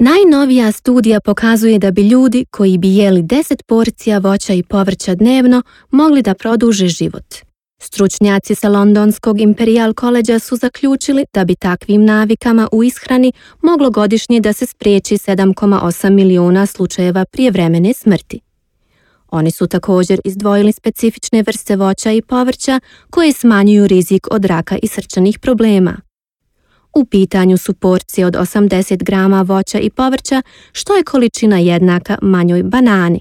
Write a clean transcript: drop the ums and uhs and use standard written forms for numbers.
Najnovija studija pokazuje da bi ljudi koji bi jeli 10 porcija voća i povrća dnevno mogli da produže život. Stručnjaci sa Londonskog Imperial Collegea su zaključili da bi takvim navikama u ishrani moglo godišnje da se spriječi 7,8 miliona slučajeva prijevremene smrti. Oni su također izdvojili specifične vrste voća i povrća koje smanjuju rizik od raka i srčanih problema. U pitanju su porcije od 80 grama voća i povrća, što je količina jednaka manjoj banani.